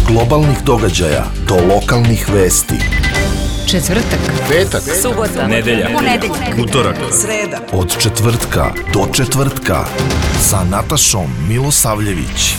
globalnih događaja do lokalnih vesti. Četvrtak, petak, subota, nedelja, utorak, sreda. Od četvrtka do četvrtka sa Natašom Milosavljević.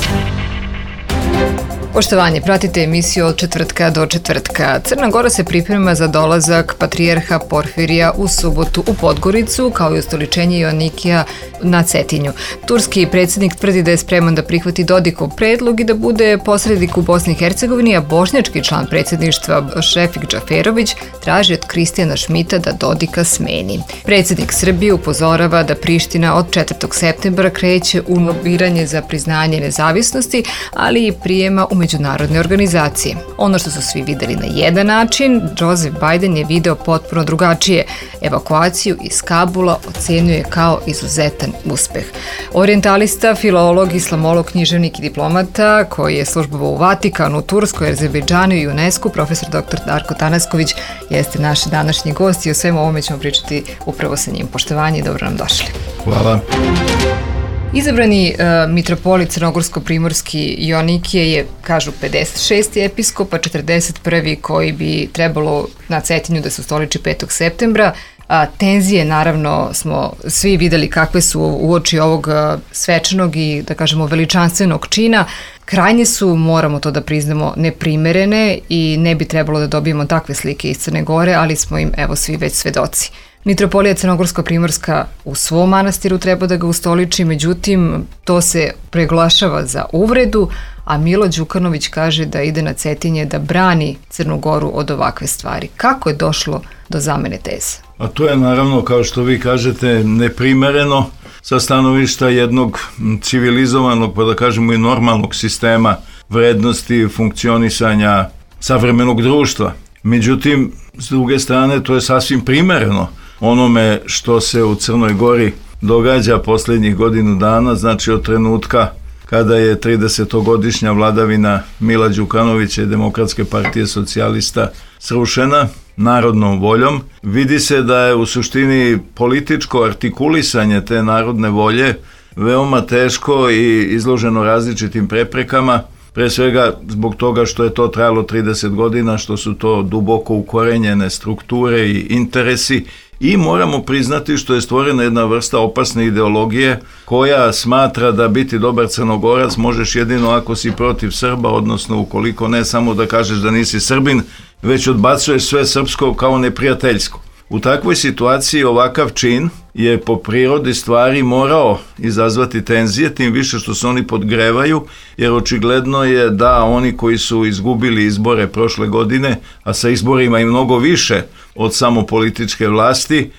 Poštovanje, pratite emisiju Od četvrtka do četvrtka. Crna Gora se priprema za dolazak patrijarha Porfirija u subotu u Podgoricu, kao i ustoličenje Joannikija na Cetinju. Turski predsjednik tvrdi da je spreman da prihvati Dodikov predlog i da bude posrednik u Bosni i Hercegovini, a bošnjački član predsjedništva Šefik Džaferović traži od Kristijana Šmita da Dodika smeni. Predsjednik Srbije upozorava da Priština od 4. septembra kreće u lobiranje za priznanje nezavisnosti, ali i prijema u međunarodne organizacije. Ono što su svi videli na jedan način, Joseph Biden je video potpuno drugačije. Evakuaciju iz Kabula ocenjuje kao izuzetan uspeh. Orijentalista, filolog, islamolog, književnik i diplomata koji je službovao u Vatikanu, Turskoj, Azerbejdžanu i UNESCO, profesor dr. Darko Tanasković jeste naš današnji gost i o svemu ovome ćemo pričati upravo sa njim. Poštovanje i dobro nam došli. Hvala. Izabrani mitropolit crnogorsko-primorski Joannikije je, kažu, 56. episkop, a 41. koji bi trebalo na Cetinju da se ustoliči 5. septembra. Tenzije, naravno, smo svi videli kakve su uoči ovog svečanog i, da kažemo, veličanstvenog čina. Krajnje su, moramo to da priznamo, neprimerene i ne bi trebalo da dobijemo takve slike iz Crne Gore, ali smo im, evo, svi već svedoci. Mitropolija Crnogorsko-Primorska u svom manastiru treba da ga ustoliči, međutim, to se preglašava za uvredu, a Milo Đukanović kaže da ide na Cetinje da brani Crnu Goru od ovakve stvari. Kako je došlo do zamene teze? A to je naravno, kao što vi kažete, neprimereno sa stanovišta jednog civilizovanog, pa da kažemo i normalnog sistema vrednosti funkcionisanja savremenog društva. Međutim, s druge strane, to je sasvim primereno onome što se u Crnoj Gori događa posljednjih godinu dana, znači od trenutka kada je 30-godišnja vladavina Mila Đukanovića i Demokratske partije socijalista srušena narodnom voljom. Vidi se da je u suštini političko artikulisanje te narodne volje veoma teško i izloženo različitim preprekama, pre svega zbog toga što je to trajalo 30 godina, što su to duboko ukorenjene strukture i interesi, i moramo priznati što je stvorena jedna vrsta opasne ideologije koja smatra da biti dobar Crnogorac možeš jedino ako si protiv Srba, odnosno ukoliko ne samo da kažeš da nisi Srbin, već odbacuješ sve srpsko kao neprijateljsko. U takvoj situaciji ovakav čin je po prirodi stvari morao izazvati tenzije, tim više što se oni podgrevaju, jer očigledno je da oni koji su izgubili izbore prošle godine, a sa izborima i mnogo više od samo političke vlasti,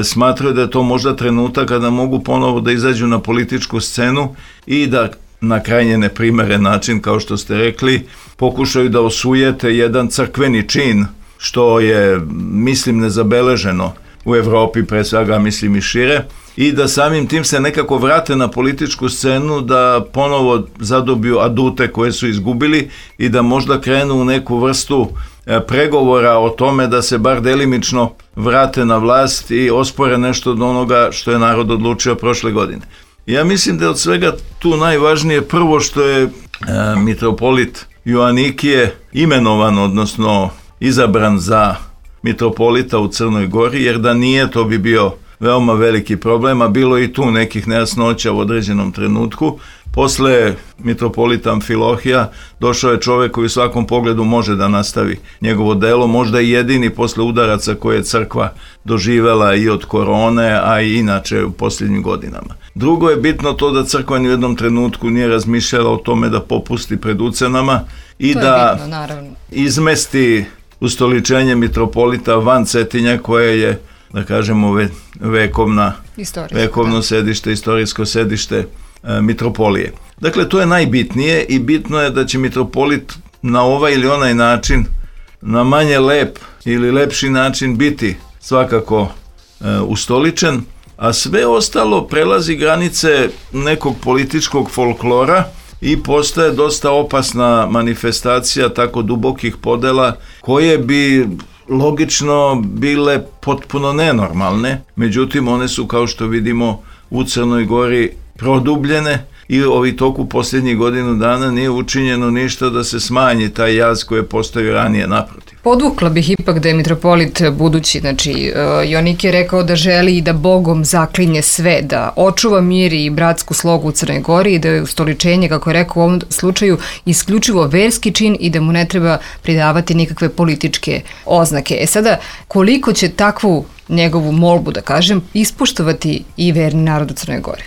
smatraju da je to možda trenutak kada mogu ponovo da izađu na političku scenu i da na krajnje neprimeren način, kao što ste rekli, pokušaju da osujete jedan crkveni čin, što je, mislim, nezabeleženo u Evropi, pre svega, mislim, i šire, i da samim tim se nekako vrate na političku scenu, da ponovo zadobiju adute koje su izgubili i da možda krenu u neku vrstu pregovora o tome da se bar delimično vrate na vlast i ospore nešto od onoga što je narod odlučio prošle godine. Ja mislim da je od svega tu najvažnije prvo što je mitropolit Joannikije imenovan, odnosno izabran za mitropolita u Crnoj Gori, jer da nije, to bi bio veoma veliki problem, a bilo i tu nekih nejasnoća u određenom trenutku. Posle mitropolita Amfilohija došao je čovjek koji u svakom pogledu može da nastavi njegovo delo, možda i jedini posle udaraca koje je crkva doživela i od korone, a i inače u posljednjim godinama. Drugo je bitno to da crkva ni u jednom trenutku nije razmišljala o tome da popusti pred ucenama i to da izmesti ustoličenje mitropolita van Cetinja, koje je, da kažemo, vekovno sedište, istorijsko sedište mitropolije. Dakle, to je najbitnije i bitno je da će mitropolit na ovaj ili onaj način, na manje lep ili lepši način biti svakako ustoličen, a sve ostalo prelazi granice nekog političkog folklora i postaje dosta opasna manifestacija tako dubokih podela koje bi logično bile potpuno nenormalne, međutim one su, kao što vidimo, u Crnoj Gori produbljene i ovi toku posljednjih godinu dana nije učinjeno ništa da se smanji taj jaz koji je postojao ranije, naprotiv. Podvukla bih ipak da je mitropolit budući, znači Joanik je rekao da želi i da Bogom zaklinje sve, da očuva mir i bratsku slogu u Crnoj Gori i da je ustoličenje, kako je rekao u ovom slučaju, isključivo verski čin i da mu ne treba pridavati nikakve političke oznake. Sada, koliko će takvu njegovu molbu, da kažem, ispoštovati i verni narod u Crnoj Gori?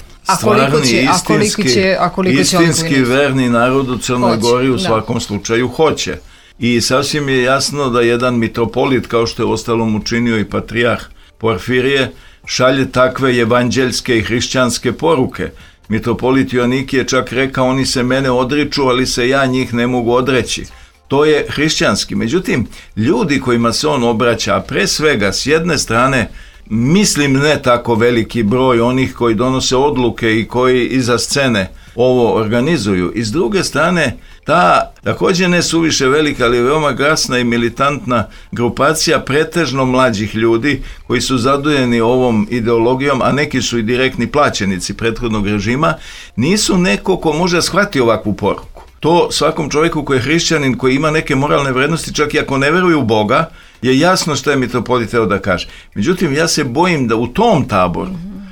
Istinski verni narod u Crnoj Gori u svakom slučaju hoće. I sasvim je jasno da jedan mitropolit, kao što je ostalom učinio i patrijarh Porfirije, šalje takve evanđeljske i hrišćanske poruke. Mitropolit Joanik je čak rekao, oni se mene odriču, ali se ja njih ne mogu odreći. To je hrišćanski. Međutim, ljudi kojima se on obraća, a pre svega s jedne strane, mislim ne tako veliki broj onih koji donose odluke i koji iza scene ovo organizuju. I s druge strane, ta također ne suviše velika, ali veoma glasna i militantna grupacija pretežno mlađih ljudi koji su zadojeni ovom ideologijom, a neki su i direktni plaćenici prethodnog režima, nisu neko ko može shvatiti ovakvu poruku. To svakom čovjeku koji je hrišćanin, koji ima neke moralne vrednosti, čak i ako ne veruje u Boga, je jasno što je mitropolit teo da kaže. Međutim, ja se bojim da u tom taboru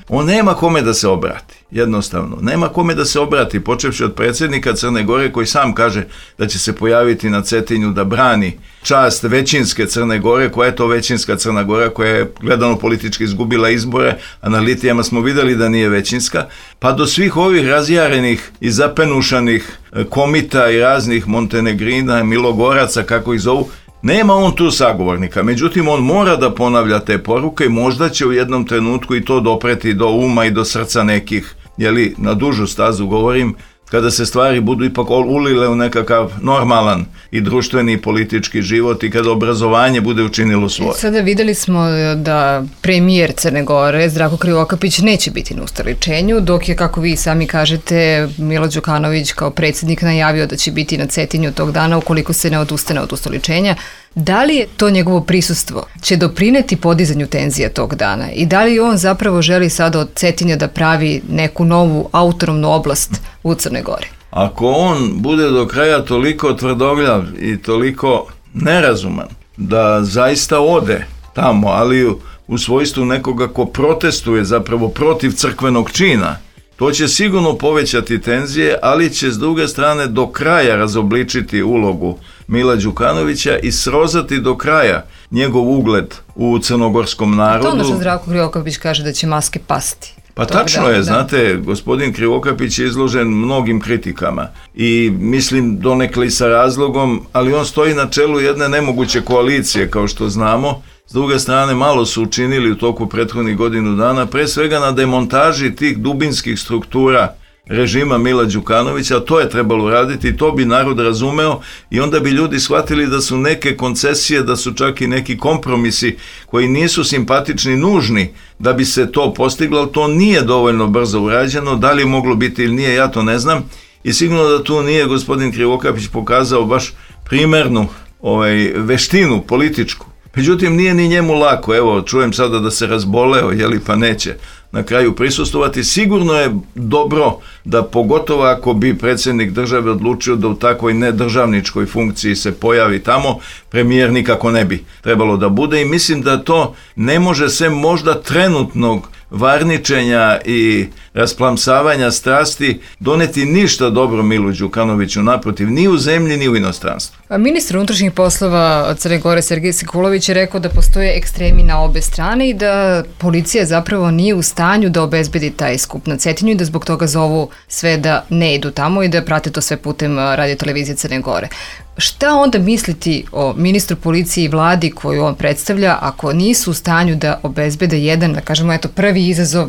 on nema kome da se obrati. Jednostavno, nema kome da se obrati, počevši od predsjednika Crne Gore koji sam kaže da će se pojaviti na Cetinju da brani čast većinske Crne Gore, koja je to većinska Crna Gora koja je gledano politički izgubila izbore, a na litijama smo vidjeli da nije većinska, pa do svih ovih razjarenih i zapenušanih komita i raznih Montenegrina, Milogoraca, kako ih zovu. Nema on tu sagovornika, međutim on mora da ponavlja te poruke i možda će u jednom trenutku i to dopreti do uma i do srca nekih, jeli, na dužu stazu govorim, kada se stvari budu ipak ulile u nekakav normalan i društveni i politički život i kada obrazovanje bude učinilo svoje. Sada videli smo da premijer Crne Gore, Zdravko Krivokapić, neće biti na ustoličenju, dok je, kako vi sami kažete, Milo Đukanović kao predsjednik najavio da će biti na Cetinju tog dana ukoliko se ne odustane od ustoličenja. Da li je to njegovo prisustvo će doprineti podizanju tenzija tog dana i da li on zapravo želi sada od Cetinja da pravi neku novu autonomnu oblast u Crnoj Gori? Ako on bude do kraja toliko tvrdogljav i toliko nerazuman da zaista ode tamo, ali u svojstvu nekoga ko protestuje zapravo protiv crkvenog čina, to će sigurno povećati tenzije, ali će s druge strane do kraja razobličiti ulogu Mila Đukanovića i srozati do kraja njegov ugled u crnogorskom narodu. To ono što Zdravko Krivokapić kaže da će maske pasti. Pa tačno je, znate, gospodin Krivokapić je izložen mnogim kritikama i mislim donekle i sa razlogom, ali on stoji na čelu jedne nemoguće koalicije, kao što znamo. S druge strane, malo su učinili u toku prethodnih godinu dana, pre svega na demontaži tih dubinskih struktura režima Mila Đukanovića, to je trebalo raditi, to bi narod razumeo i onda bi ljudi shvatili da su neke koncesije, da su čak i neki kompromisi koji nisu simpatični, nužni da bi se to postiglo, ali to nije dovoljno brzo urađeno, da li je moglo biti ili nije, ja to ne znam i sigurno da tu nije gospodin Krivokapić pokazao baš primernu veštinu političku. Međutim, nije ni njemu lako, evo, čujem sada da se razboleo, jeli, pa neće na kraju prisustvovati. Sigurno je dobro da, pogotovo ako bi predsjednik države odlučio da u takvoj nedržavničkoj funkciji se pojavi tamo, premijer nikako ne bi trebalo da bude i mislim da to ne može se možda trenutnog varničenja i rasplamsavanja strasti doneti ništa dobro Milu Đukanoviću, naprotiv, ni u zemlji, ni u inostranstvu. Ministar unutrašnjih poslova Crne Gore Sergej Sekulović je rekao da postoje ekstremi na obe strane i da policija zapravo nije u stanju da obezbedi taj skup na Cetinju i da zbog toga zovu sve da ne idu tamo i da prate to sve putem radiotelevizije Crne Gore. Šta onda misliti o ministru policije i vladi koju on predstavlja ako nisu u stanju da obezbede jedan, da kažemo, eto, prvi izazov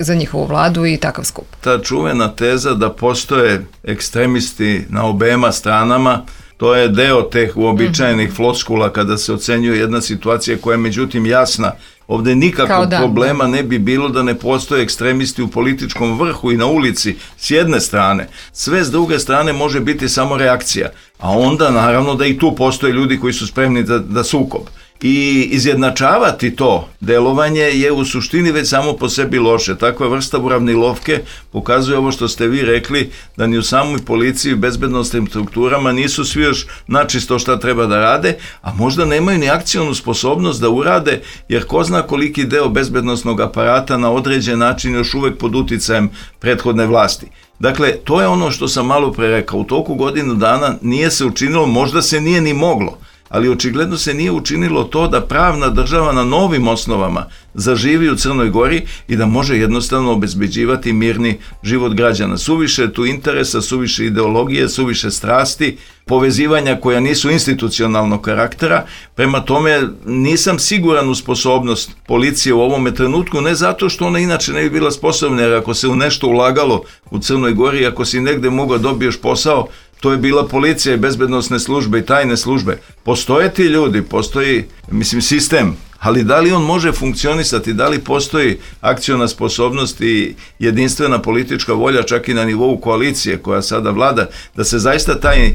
za njihovu vladu i takav skup? Ta čuvena teza da postoje ekstremisti na obema stranama, to je deo teh uobičajenih floskula kada se ocenjuje jedna situacija koja je međutim jasna. Ovdje nikakvog problema ne bi bilo da ne postoje ekstremisti u političkom vrhu i na ulici s jedne strane. Sve s druge strane može biti samo reakcija. A onda naravno da i tu postoje ljudi koji su spremni da sukob. I izjednačavati to delovanje je u suštini već samo po sebi loše. Takva vrsta uravnilovke pokazuje ovo što ste vi rekli, da ni u samoj policiji i bezbednostnim strukturama nisu svi još načisto šta treba da rade, a možda nemaju ni akcionu sposobnost da urade, jer ko zna koliki deo bezbednostnog aparata na određen način još uvek pod uticajem prethodne vlasti. Dakle, to je ono što sam malo pre rekao. U toku godinu dana nije se učinilo, možda se nije ni moglo, ali očigledno se nije učinilo to da pravna država na novim osnovama zaživi u Crnoj Gori i da može jednostavno obezbeđivati mirni život građana. Suviše tu interesa, suviše ideologije, suviše strasti, povezivanja koja nisu institucionalnog karaktera. Prema tome nisam siguran u sposobnost policije u ovome trenutku, ne zato što ona inače ne bi bila sposobna, jer ako se u nešto ulagalo u Crnoj Gori, ako si negde mogao dobiješ posao, to je bila policija i bezbednosne službe i tajne službe. Postoje ti ljudi, postoji, sistem, ali da li on može funkcionisati, da li postoji akciona sposobnost i jedinstvena politička volja čak i na nivou koalicije koja sada vlada, da se zaista taj,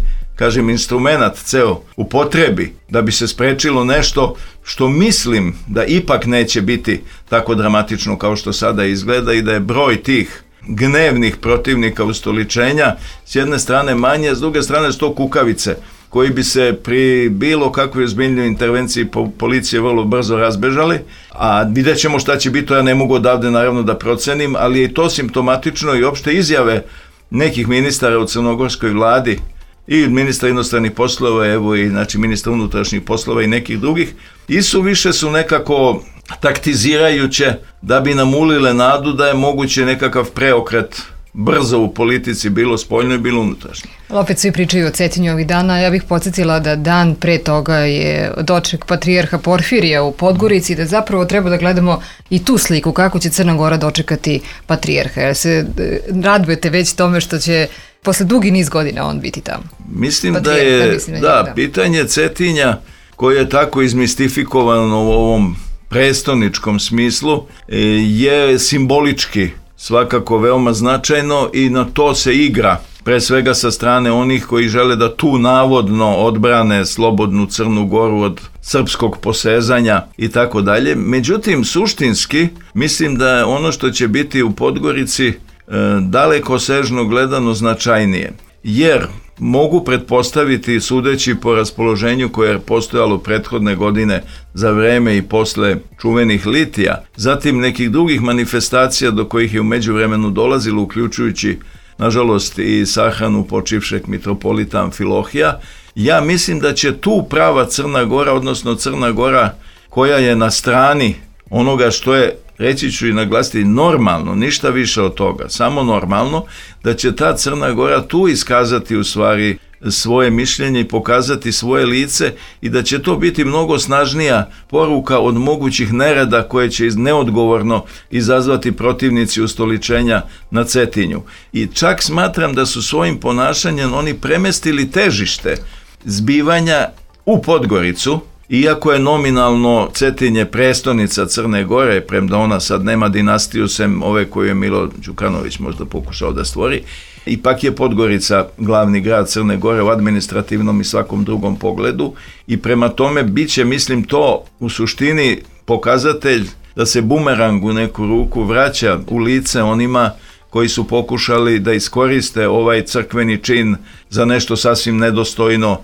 instrumenat ceo upotrebi da bi se sprečilo nešto što mislim da ipak neće biti tako dramatično kao što sada izgleda i da je broj tih gnevnih protivnika ustoličenja s jedne strane manje, s druge strane su to kukavice koji bi se pri bilo kakvoj ozbiljnoj intervenciji policije vrlo brzo razbežali, a vidjet ćemo šta će biti, to ja ne mogu odavde naravno da procenim, ali je to simptomatično i opšte izjave nekih ministara u crnogorskoj vladi i ministra inostranih poslova, evo i ministra unutrašnjih poslova i nekih drugih, i više su nekako taktizirajuće da bi nam ulile nadu da je moguće nekakav preokret brzo u politici, bilo spoljno i bilo unutrašnje. Opet svi pričaju o Cetinju ovih dana, ja bih podsjetila da dan pre toga je doček patrijarha Porfirija u Podgorici, da zapravo treba da gledamo i tu sliku kako će Crna Gora dočekati patrijarha. Jer se radujete već tome što će posle dugi niz godina on biti tamo? Mislim da je, pitanje Cetinja koje je tako izmistifikovano u ovom prestoničkom smislu je simbolički svakako veoma značajno i na to se igra pre svega sa strane onih koji žele da tu navodno odbrane slobodnu Crnu Goru od srpskog posezanja i tako dalje. Međutim, suštinski mislim da je ono što će biti u Podgorici daleko sežno gledano značajnije, jer mogu pretpostaviti, sudeći po raspoloženju koje je postojalo prethodne godine za vreme i posle čuvenih litija, zatim nekih drugih manifestacija do kojih je u međuvremenu dolazilo, uključujući nažalost i sahranu počivšeg mitropolita Amfilohija, ja mislim da će tu prava Crna Gora, odnosno Crna Gora koja je na strani onoga što je, reći ću i naglasiti, normalno, ništa više od toga, samo normalno, da će ta Crna Gora tu iskazati u stvari svoje mišljenje i pokazati svoje lice i da će to biti mnogo snažnija poruka od mogućih nereda koje će neodgovorno izazvati protivnici ustoličenja na Cetinju. I čak smatram da su svojim ponašanjem oni premestili težište zbivanja u Podgoricu, iako je nominalno Cetinje prestonica Crne Gore, premda ona sad nema dinastiju sem ove koju je Milo Đukanović možda pokušao da stvori, ipak je Podgorica glavni grad Crne Gore u administrativnom i svakom drugom pogledu i prema tome bit će, mislim, to u suštini pokazatelj da se bumerang u neku ruku vraća u lice onima koji su pokušali da iskoriste ovaj crkveni čin za nešto sasvim nedostojno,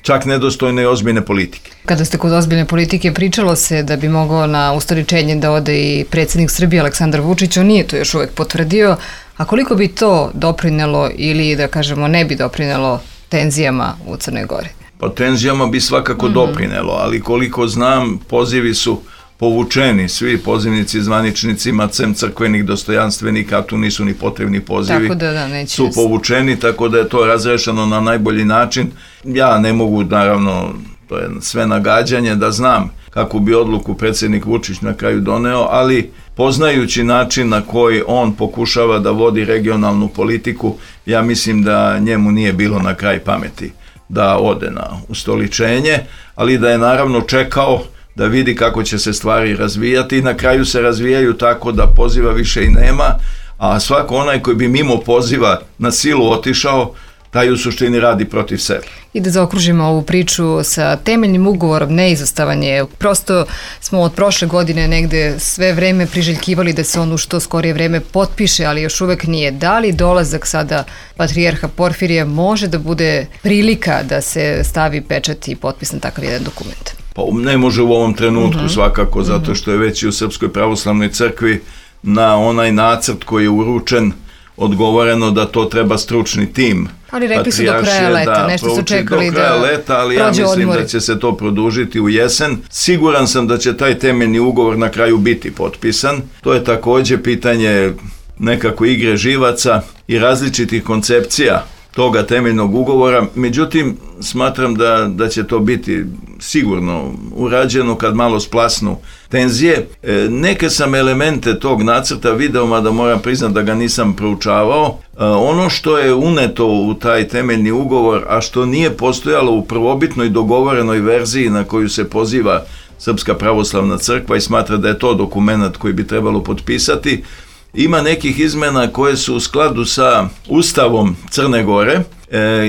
čak nedostojne i ozbiljne politike. Kada ste kod ozbiljne politike, pričalo se da bi mogao na ustoličenje da ode i predsjednik Srbije Aleksandar Vučić, on nije to još uvek potvrdio, a koliko bi to doprinelo ili da kažemo ne bi doprinelo tenzijama u Crnoj Gori? Pa tenzijama bi svakako doprinelo, ali koliko znam, pozivi su povučeni, svi pozivnici zvaničnicima, sem crkvenih dostojanstvenika, a tu nisu ni potrebni pozivi, tako da, su povučeni, tako da je to razrešeno na najbolji način. Ja ne mogu, naravno, to je sve nagađanje, da znam kakvu bi odluku predsjednik Vučić na kraju doneo, ali poznajući način na koji on pokušava da vodi regionalnu politiku, ja mislim da njemu nije bilo na kraj pameti da ode na ustoličenje, ali da je naravno čekao da vidi kako će se stvari razvijati i na kraju se razvijaju tako da poziva više i nema, a svako onaj koji bi mimo poziva na silu otišao, taj u suštini radi protiv sebe. I da zaokružimo ovu priču sa temeljnim ugovorom, neizostavan je. Prosto smo od prošle godine negde sve vreme priželjkivali da se on u što skorije vreme potpiše, ali još uvek nije. Da li dolazak sada patrijarha Porfirija može da bude prilika da se stavi pečat i potpis na takav jedan dokument? Pa ne može u ovom trenutku svakako, zato što je već i u Srpskoj pravoslavnoj crkvi na onaj nacrt koji je uručen odgovoreno da to treba stručni tim. Ali rekli su do kraja leta, nešto su čekali do kraja leta, ali ja mislim da će se to produžiti u jesen. Siguran sam da će taj temeljni ugovor na kraju biti potpisan. To je također pitanje nekako igre živaca i različitih koncepcija toga temeljnog ugovora. Međutim, smatram da će to biti sigurno urađeno kad malo splasnu tenzije. Neke sam elemente tog nacrta video, mada moram priznati da ga nisam proučavao. Ono što je uneto u taj temeljni ugovor, a što nije postojalo u prvobitnoj dogovorenoj verziji na koju se poziva Srpska pravoslavna crkva i smatra da je to dokument koji bi trebalo potpisati, ima nekih izmena koje su u skladu sa Ustavom Crne Gore,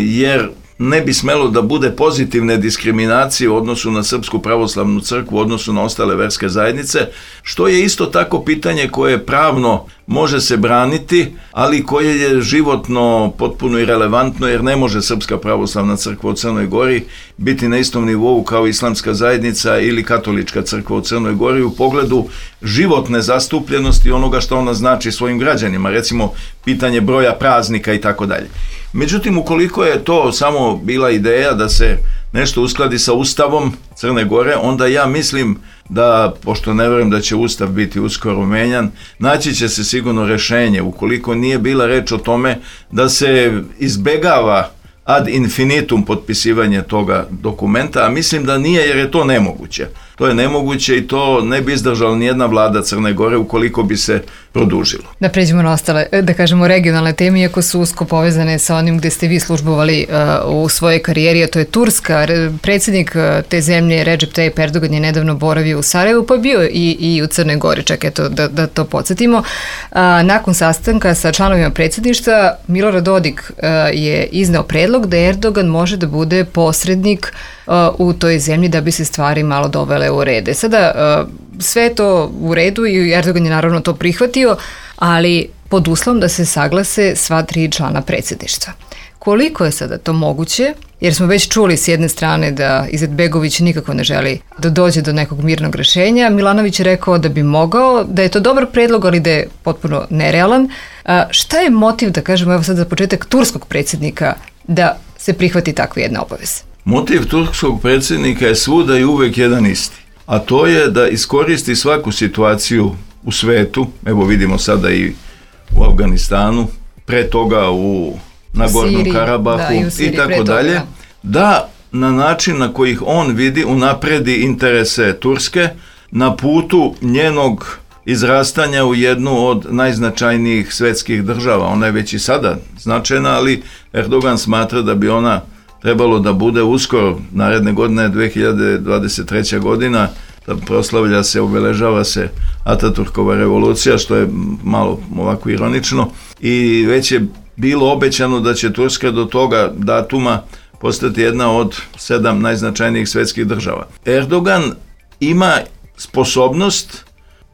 jer ne bi smelo da bude pozitivne diskriminacije u odnosu na Srpsku pravoslavnu crkvu, u odnosu na ostale verske zajednice, što je isto tako pitanje koje pravno može se braniti, ali koje je životno potpuno irelevantno, jer ne može Srpska pravoslavna crkva u Crnoj Gori biti na istom nivou kao islamska zajednica ili katolička crkva u Crnoj Gori u pogledu životne zastupljenosti onoga što ona znači svojim građanima, recimo pitanje broja praznika i tako dalje. Međutim, ukoliko je to samo bila ideja da se nešto uskladi sa Ustavom Crne Gore, onda ja mislim da, pošto ne vjerujem da će Ustav biti uskoro menjan, naći će se sigurno rješenje, ukoliko nije bila reč o tome da se izbegava ad infinitum potpisivanje toga dokumenta, a mislim da nije, jer je to nemoguće. To je nemoguće i to ne bi izdržala nijedna vlada Crne Gore ukoliko bi se produžilo. Da pređemo na ostale, da kažemo, regionalne teme, iako su usko povezane sa onim gde ste vi službovali u svojoj karijeri, a to je Turska. Predsjednik te zemlje, Recep Tayyip Erdogan, je nedavno boravio u Sarajevu, pa bio i u Crnoj Gori, čak eto da to podsjetimo. Nakon sastanka sa članovima predsjedništva, Milorad Dodik je izneo predlog da Erdogan može da bude posrednik u toj zemlji da bi se stvari malo dovele u rede. Sada sve je to u redu i Erdogan je naravno to prihvatio, ali pod uslovom da se saglase sva 3 člana predsjedništva. Koliko je sada to moguće? Jer smo već čuli s jedne strane da Izetbegović nikako ne želi da dođe do nekog mirnog rješenja. Milanović je rekao da bi mogao, da je to dobar predlog, ali da je potpuno nerealan. Šta je motiv, da kažemo, evo sad za početak, turskog predsjednika da se prihvati takve jedne obaveze? Motiv turskog predsjednika je svuda i uvek jedan isti, a to je da iskoristi svaku situaciju u svetu, evo vidimo sada i u Afganistanu, pre toga u Nagornom Karabahu i tako dalje, da na način na kojih on vidi unapredi interese Turske na putu njenog izrastanja u jednu od najznačajnijih svetskih država. Ona je već i sada značajna, ali Erdogan smatra da bi ona trebalo da bude uskoro, naredne godine 2023. godina, da proslavlja se, obeležava se Ataturkova revolucija, što je malo ovako ironično, i već je bilo obećano da će Turska do toga datuma postati jedna od 7 najznačajnijih svetskih država. Erdogan ima sposobnost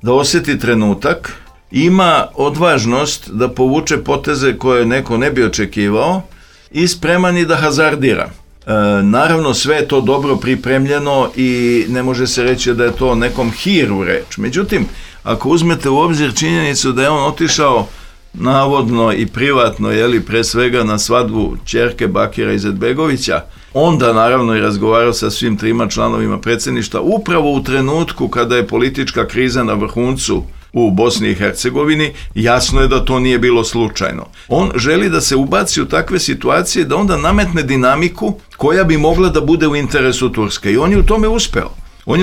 da osjeti trenutak, ima odvažnost da povuče poteze koje neko ne bi očekivao i spreman i da hazardira. Naravno, sve je to dobro pripremljeno i ne može se reći da je to nekom hiru reč. Međutim, ako uzmete u obzir činjenicu da je on otišao navodno i privatno, pre svega na svadbu ćerke Bakira Izetbegovića, onda naravno i razgovarao sa svim 3 članovima predsjedništva upravo u trenutku kada je politička kriza na vrhuncu u Bosni i Hercegovini, jasno je da to nije bilo slučajno. On želi da se ubaci u takve situacije, da onda nametne dinamiku koja bi mogla da bude u interesu Turske, i on je u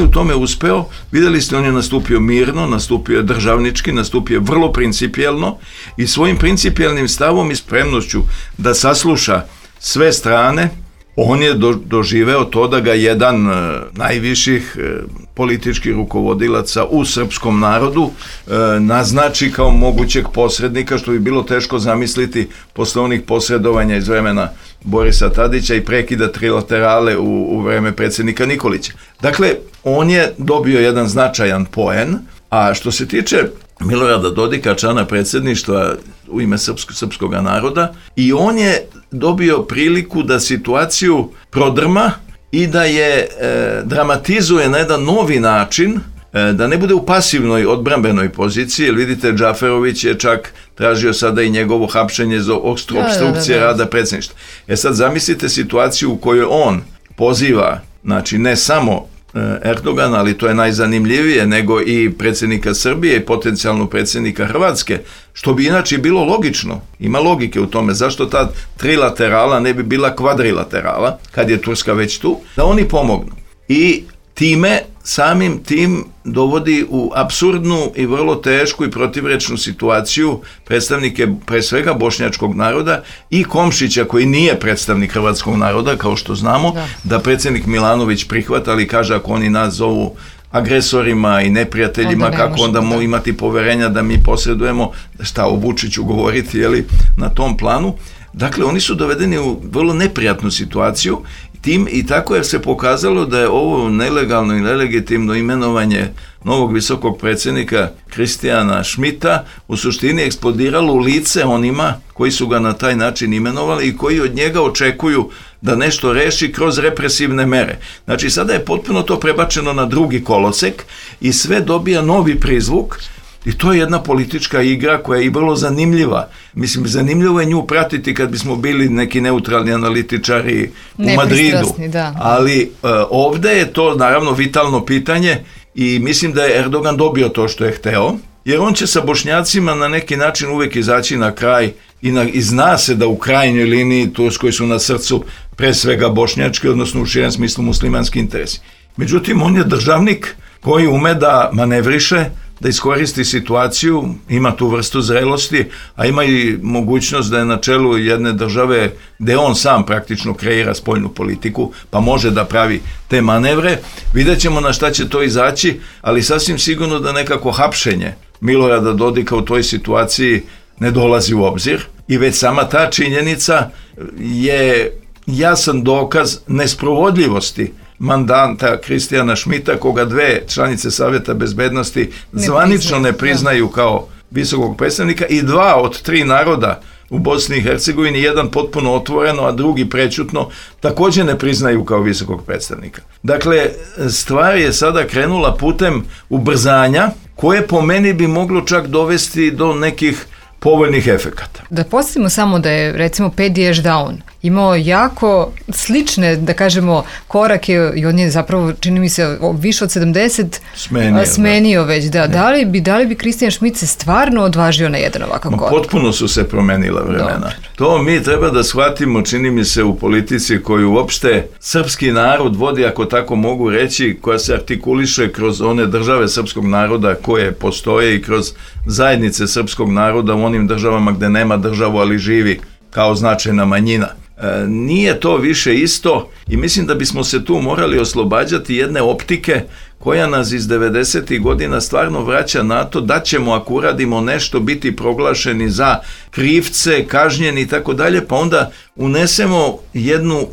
tome uspeo. Vidjeli ste, on je nastupio mirno, nastupio je državnički, nastupio je vrlo principijelno i svojim principijelnim stavom i spremnošću da sasluša sve strane, on je doživeo to da ga jedan najviših političkih rukovodilaca u srpskom narodu naznači kao mogućeg posrednika, što bi bilo teško zamisliti posle onih posredovanja iz vremena Borisa Tadića i prekida trilaterale u vreme predsjednika Nikolića. Dakle, on je dobio jedan značajan poen, a što se tiče Milorada Dodika, člana predsjedništva u ime srpskog naroda, i on je dobio priliku da situaciju prodrma i da je dramatizuje na jedan novi način, da ne bude u pasivnoj odbrambenoj poziciji, jer vidite, Džaferović je čak tražio sada i njegovo hapšenje za opstrukcije rada predsjedništva. Sad zamislite situaciju u kojoj on poziva, znači ne samo Erdogana, ali to je najzanimljivije, nego i predsjednika Srbije i potencijalno predsjednika Hrvatske, što bi inače bilo logično. Ima logike u tome. Zašto ta trilaterala ne bi bila kvadrilaterala, kad je Turska već tu, da oni pomognu. I time, samim tim dovodi u apsurdnu i vrlo tešku i protivrečnu situaciju predstavnike pre svega bošnjačkog naroda i Komšića, koji nije predstavnik hrvatskog naroda, kao što znamo, da predsjednik Milanović prihvata, ali kaže ako oni nas zovu agresorima i neprijateljima, kako onda mogu imati poverenja da mi posredujemo, šta o Vučiću govoriti, jeli, na tom planu. Dakle, oni su dovedeni u vrlo neprijatnu situaciju i tako je se pokazalo da je ovo nelegalno i nelegitimno imenovanje novog visokog predsjednika Kristijana Šmita u suštini eksplodiralo u lice onima koji su ga na taj način imenovali i koji od njega očekuju da nešto reši kroz represivne mere. Znači, sada je potpuno to prebačeno na drugi kolosek i sve dobija novi prizvuk. I to je jedna politička igra koja je i vrlo zanimljiva. Mislim, zanimljivo je nju pratiti kad bismo bili neki neutralni analitičari u Madridu. Ali ovdje je to naravno vitalno pitanje i mislim da je Erdogan dobio to što je hteo, jer on će sa Bošnjacima na neki način uvijek izaći na kraj i zna se da u krajnjoj liniji Turskoj su na srcu pre svega bošnjački, odnosno u širem smislu muslimanski interesi. Međutim, on je državnik koji ume da manevriše, da iskoristi situaciju, ima tu vrstu zrelosti, a ima i mogućnost da je na čelu jedne države gde on sam praktično kreira spoljnu politiku, pa može da pravi te manevre. Vidjet ćemo na šta će to izaći, ali sasvim sigurno da nekako hapšenje Milorada Dodika u toj situaciji ne dolazi u obzir i već sama ta činjenica je jasan dokaz nesprovodljivosti mandanta Kristijana Šmita, koga dve članice Savjeta bezbednosti zvanično ne priznaju kao visokog predstavnika i 2 od 3 naroda u Bosni i Hercegovini, jedan potpuno otvoreno, a drugi prećutno, također ne priznaju kao visokog predstavnika. Dakle, stvar je sada krenula putem ubrzanja, koje po meni bi moglo čak dovesti do nekih povoljnih efekata. Da postavimo samo da je, recimo, Pedi Ešdaun imao jako slične, da kažemo, korake i on je zapravo, čini mi se, više od 70 smenio već. Da li bi Kristijan Šmit se stvarno odvažio na jedan ovakav korak? Potpuno su se promenila vremena. Dobre. To mi treba da shvatimo, čini mi se, u politici koju uopšte srpski narod vodi, ako tako mogu reći, koja se artikuliše kroz one države srpskog naroda koje postoje i kroz zajednice srpskog naroda u onim državama gde nema državu, ali živi kao značajna manjina. Nije to više isto i mislim da bismo se tu morali oslobađati jedne optike koja nas iz 90. godina stvarno vraća na to da ćemo, ako uradimo nešto, biti proglašeni za krivce, kažnjeni i tako dalje, pa onda unesemo jednu,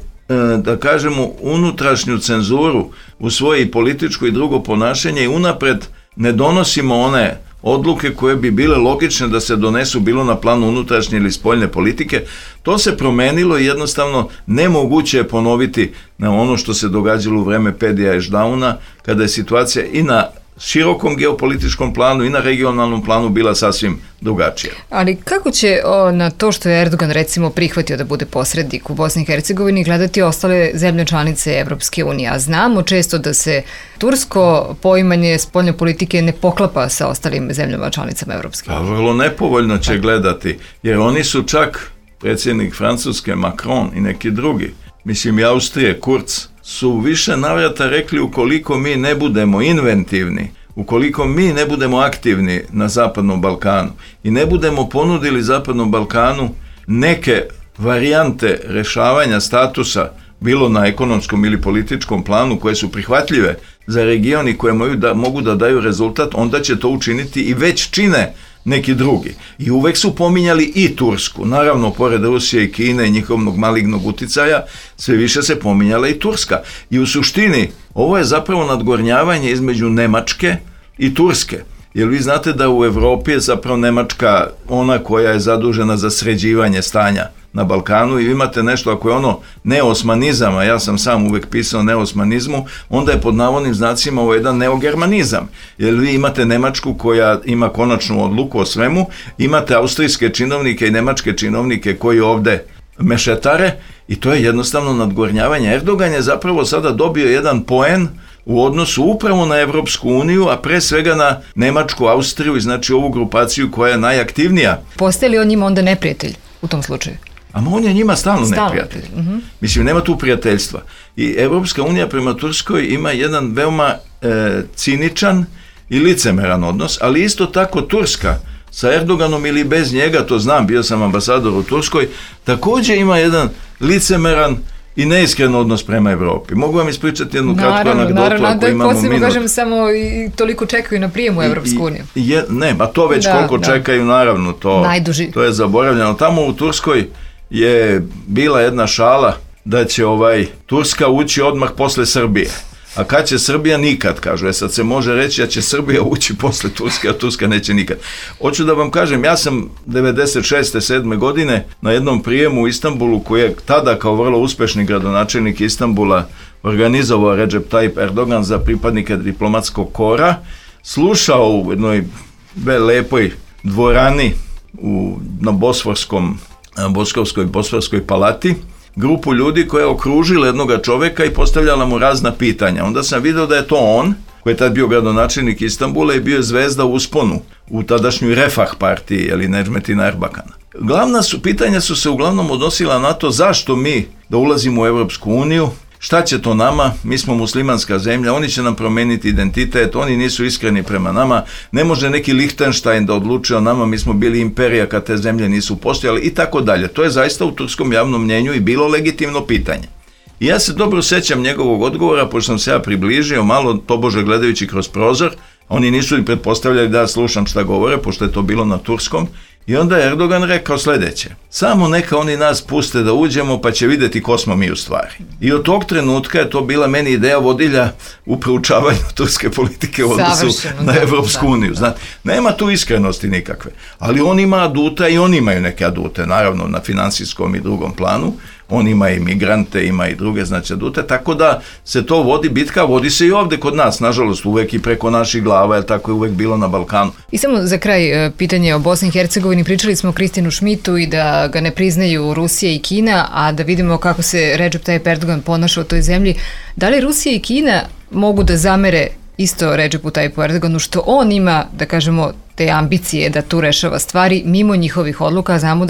da kažemo, unutrašnju cenzuru u svoje političko i drugo ponašanje i unapred ne donosimo one odluke koje bi bile logične da se donesu bilo na planu unutrašnje ili spoljne politike. To se promenilo i jednostavno nemoguće je ponoviti na ono što se događalo u vreme Pedija Ešdauna, kada je situacija i na širokom geopolitičkom planu i na regionalnom planu bila sasvim drugačija. Ali kako će na to što je Erdogan recimo prihvatio da bude posrednik u Bosni i Hercegovini gledati ostale zemlje članice Evropske unije? A znamo često da se tursko poimanje spoljne politike ne poklapa sa ostalim zemljama članicama Evropske unije. Pa vrlo nepovoljno će gledati, jer oni su čak, predsjednik Francuske Macron i neki drugi, mislim i Austrije, Kurz, su više navrata rekli ukoliko mi ne budemo inventivni, ukoliko mi ne budemo aktivni na Zapadnom Balkanu i ne budemo ponudili Zapadnom Balkanu neke varijante rešavanja statusa bilo na ekonomskom ili političkom planu, koje su prihvatljive za region i koje mogu da daju rezultat, onda će to učiniti i već čine neki drugi. I uvek su pominjali i Tursku. Naravno, pored Rusije i Kine i njihovog malignog uticaja, sve više se pominjala i Turska. I u suštini, ovo je zapravo nadgornjavanje između Nemačke i Turske. Jer vi znate da u Evropi je zapravo Nemačka ona koja je zadužena za sređivanje stanja na Balkanu i vi imate nešto, ako je ono neosmanizam, a ja sam sam uvek pisao o neosmanizmu, onda je pod navodnim znacima ovo jedan neogermanizam. Jer vi imate Nemačku koja ima konačnu odluku o svemu, imate austrijske činovnike i nemačke činovnike koji ovde mešetare i to je jednostavno nadgornjavanje. Erdogan je zapravo sada dobio jedan poen u odnosu upravo na Evropsku uniju, a pre svega na Nemačku, Austriju i znači ovu grupaciju koja je najaktivnija. Postaje li on njima onda neprijatelj u tom slučaju? A on je njima stalno neprijatelj. Mislim, nema tu prijateljstva. I Evropska unija prema Turskoj ima jedan veoma ciničan i licemeran odnos, ali isto tako Turska sa Erdoganom ili bez njega, to znam, bio sam ambasador u Turskoj, također ima jedan licemeran i neiskren odnos prema Evropi. Mogu vam ispričati jednu kratku anegdotu ako imamo minut. Kažem, samo i toliko čekaju na prijem u Evropsku uniju. Ne, a to već koliko čekaju, naravno, to je zaboravljeno. Tamo u Turskoj je bila jedna šala da će Turska ući odmah posle Srbije. A kad će Srbija? Nikad, kažu. Sad se može reći da će Srbija ući posle Turske, a Turska neće nikad. Hoću da vam kažem, ja sam 96. 7. godine na jednom prijemu u Istanbulu, koji je tada kao vrlo uspešni gradonačelnik Istanbula organizovao Recep Tayyip Erdogan za pripadnike diplomatskog kora, slušao u jednoj lepoj dvorani na Bosforskoj palati grupu ljudi koja je okružila jednoga čoveka i postavljala mu razna pitanja. Onda sam video da je to on, koji je tad bio gradonačelnik Istanbula i bio je zvezda u usponu u tadašnjoj Refah partiji, Necmettina Erbakana. Pitanja su se uglavnom odnosila na to zašto mi da ulazimo u Evropsku uniju, šta će to nama, mi smo muslimanska zemlja, oni će nam promeniti identitet, oni nisu iskreni prema nama, ne može neki Lichtenstein da odlučuje o nama, mi smo bili imperija kad te zemlje nisu postojale i tako dalje. To je zaista u turskom javnom mnjenju i bilo legitimno pitanje. I ja se dobro sećam njegovog odgovora, pošto sam se ja približio malo, tobože gledajući kroz prozor, oni nisu i pretpostavljali da ja slušam šta govore, pošto je to bilo na turskom. I onda je Erdogan rekao sljedeće: samo neka oni nas puste da uđemo pa će vidjeti ko smo mi u stvari. I od tog trenutka je to bila meni ideja vodilja u proučavanju turske politike u odnosu na Evropsku uniju. Znate, nema tu iskrenosti nikakve, ali on ima aduta i oni imaju neke adute, naravno na finansijskom i drugom planu. On ima i migrante, ima i druge adute, tako da se to vodi, bitka vodi se i ovde kod nas, nažalost, uvek i preko naših glava, jer tako je uvek bilo na Balkanu. I samo za kraj pitanje o Bosni i Hercegovini, pričali smo o Kristijanu Šmitu i da ga ne priznaju Rusija i Kina, a da vidimo kako se Recep Tayyip Erdogan ponaša u toj zemlji. Da li Rusija i Kina mogu da zamere isto Recepu Tayyipu Erdoganu što on ima, da kažemo, te ambicije da tu rešava stvari mimo njihovih odluka, znamo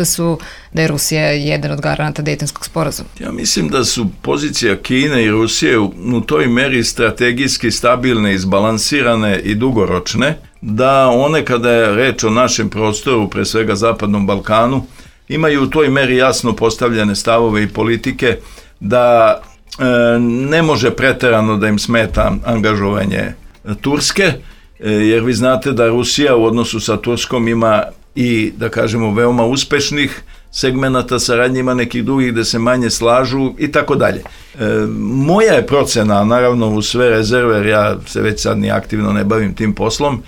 da je Rusija jedan od garanata Dejtonskog sporazuma. Ja mislim da su pozicija Kine i Rusije u toj meri strategijski stabilne, izbalansirane i dugoročne, da one kada je reč o našem prostoru, pre svega Zapadnom Balkanu, imaju u toj meri jasno postavljene stavove i politike da ne može preterano da im smeta angažovanje Turske, jer vi znate da Rusija u odnosu sa Turskom ima i, da kažemo, veoma uspešnih segmenata saradnje, ima nekih drugih gde se manje slažu i tako dalje. Moja je procena, naravno u sve rezerve, jer ja se već sad ni aktivno ne bavim tim poslom,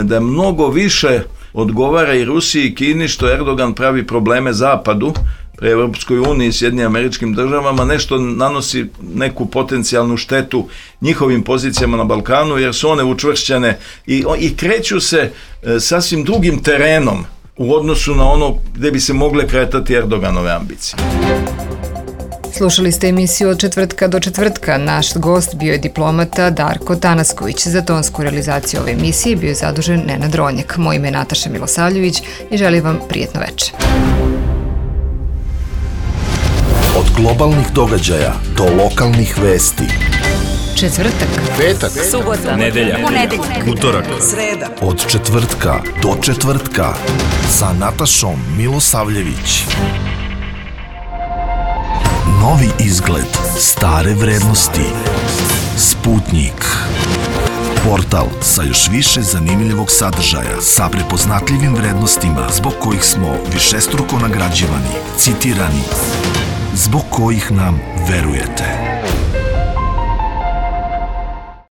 da mnogo više odgovara i Rusiji i Kini što Erdogan pravi probleme Zapadu, pre Evropskoj uniji i Sjedinjenim Američkim Državama, nešto nanosi neku potencijalnu štetu njihovim pozicijama na Balkanu, jer su one učvršćene i kreću se sasvim drugim terenom u odnosu na ono gde bi se mogle kretati Erdoganove ambicije. Slušali ste emisiju Od četvrtka do četvrtka. Naš gost bio je diplomata Darko Tanasković. Za tonsku realizaciju ove emisije bio je zadužen Nenad Ronjak. Moje ime je Nataša Milosavljević i želim vam prijetno večer. Od globalnih događaja do lokalnih vesti. Četvrtak, petak, subota, nedelja, utorak, sreda. Od četvrtka do četvrtka sa Natašom Milosavljević. Novi izgled, stare vrednosti. Sputnik. Portal sa još više zanimljivog sadržaja, sa prepoznatljivim vrednostima zbog kojih smo višestruko nagrađivani, citirani, zbog kojih nam verujete.